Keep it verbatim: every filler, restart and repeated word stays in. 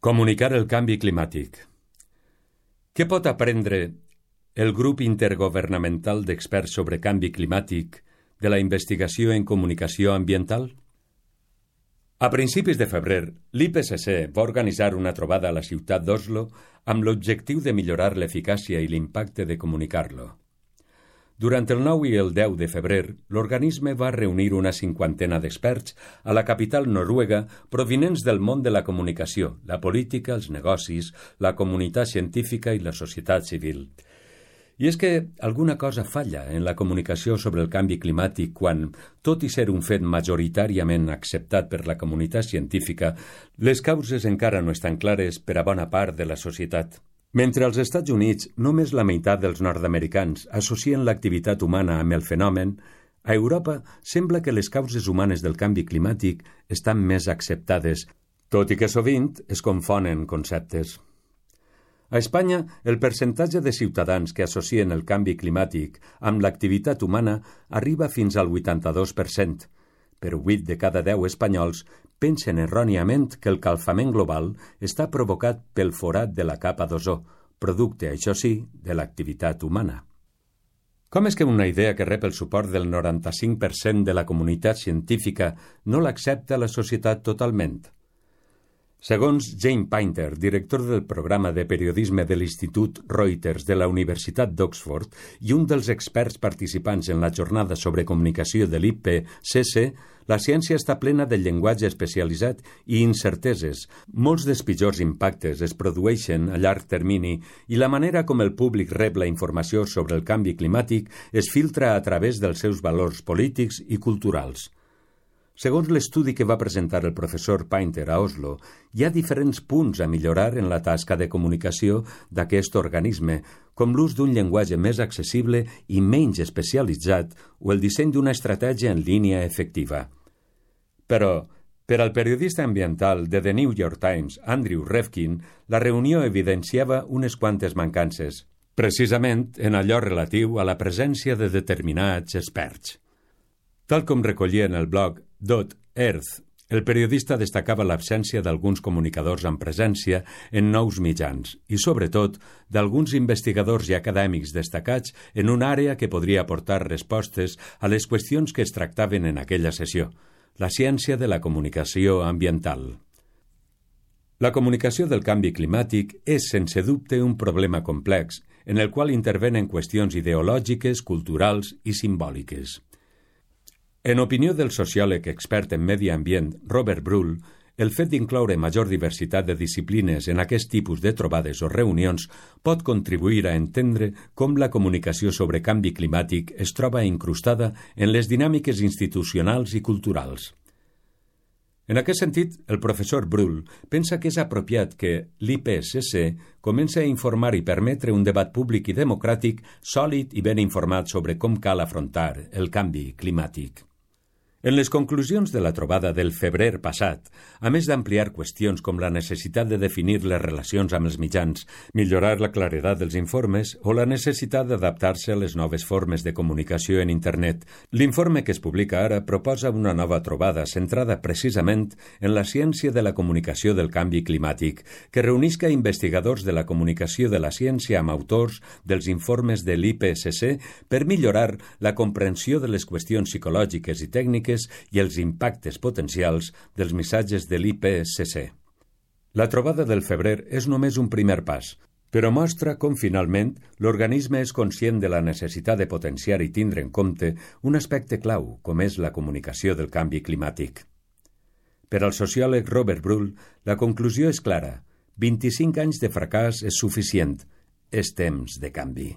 Comunicar el canvi climàtic. Què pot aprendre el grup intergovernamental d'experts sobre canvi climàtic de la investigació en comunicació ambiental? A principis de febrer, l'I P C C va organitzar una trobada a la ciutat d'Oslo amb l'objectiu de millorar l'eficàcia i l'impacte de comunicar-lo. Durant el nou i el deu de febrer, l'organisme va reunir una cinquantena d'experts a la capital noruega provinents del món de la comunicació, la política, els negocis, la comunitat científica i la societat civil. I és que alguna cosa falla en la comunicació sobre el canvi climàtic quan, tot i ser un fet majoritàriament acceptat per la comunitat científica, les causes encara no estan clares per a bona part de la societat. Mentre als Estats Units només la meitat dels nord-americans associen l'activitat humana amb el fenomen, a Europa sembla que les causes humanes del canvi climàtic estan més acceptades, tot i que sovint es confonen conceptes. A Espanya, el percentatge de ciutadans que associen el canvi climàtic amb l'activitat humana arriba fins al vuitanta-dos per cent, però vuit de cada deu espanyols pensen erròniament que el calfament global està provocat pel forat de la capa d'ozó, producte, això sí, de l'activitat humana. Com és que una idea que rep el suport del noranta-cinc per cent de la comunitat científica no l'accepta la societat totalment? Segons Jane Painter, director del programa de periodisme de l'Institut Reuters de la Universitat d'Oxford i un dels experts participants en la jornada sobre comunicació de l'I P C C, la ciència està plena de llenguatge especialitzat i incerteses. Molts dels pitjors impactes es produeixen a llarg termini i la manera com el públic rep la informació sobre el canvi climàtic es filtra a través dels seus valors polítics i culturals. Segons l'estudi que va presentar el professor Painter a Oslo, hi ha diferents punts a millorar en la tasca de comunicació d'aquest organisme, com l'ús d'un llenguatge més accessible i menys especialitzat o el disseny d'una estratègia en línia efectiva. Però, per al periodista ambiental de The New York Times, Andrew Revkin, la reunió evidenciava unes quantes mancances, precisament en allò relatiu a la presència de determinats experts. Tal com recollia en el blog Dot Earth, el periodista destacava l'absència d'alguns comunicadors amb presència en nous mitjans i, sobretot, d'alguns investigadors i acadèmics destacats en una àrea que podria aportar respostes a les qüestions que es tractaven en aquella sessió, la ciència de la comunicació ambiental. La comunicació del canvi climàtic és, sense dubte, un problema complex en el qual intervenen qüestions ideològiques, culturals i simbòliques. En opinió del sociòleg expert en medi ambient Robert Brull, el fet d'incloure major diversitat de disciplines en aquest tipus de trobades o reunions pot contribuir a entendre com la comunicació sobre canvi climàtic es troba incrustada en les dinàmiques institucionals i culturals. En aquest sentit, el professor Brull pensa que és apropiat que l'I P C C comenci a informar i permetre un debat públic i democràtic sòlid i ben informat sobre com cal afrontar el canvi climàtic. En les conclusions de la trobada del febrer passat, a més d'ampliar qüestions com la necessitat de definir les relacions amb els mitjans, millorar la claredat dels informes o la necessitat d'adaptar-se a les noves formes de comunicació en internet, l'informe que es publica ara proposa una nova trobada centrada precisament en la ciència de la comunicació del canvi climàtic, que reunisca investigadors de la comunicació de la ciència amb autors dels informes de l'I P C C per millorar la comprensió de les qüestions psicològiques i tècniques i els impactes potencials dels missatges de l'I P C C. La trobada del febrer és només un primer pas, però mostra com finalment l'organisme és conscient de la necessitat de potenciar i tindre en compte un aspecte clau, com és la comunicació del canvi climàtic. Per al sociòleg Robert Brull, la conclusió és clara: vint-i-cinc anys de fracàs és suficient. És temps de canvi.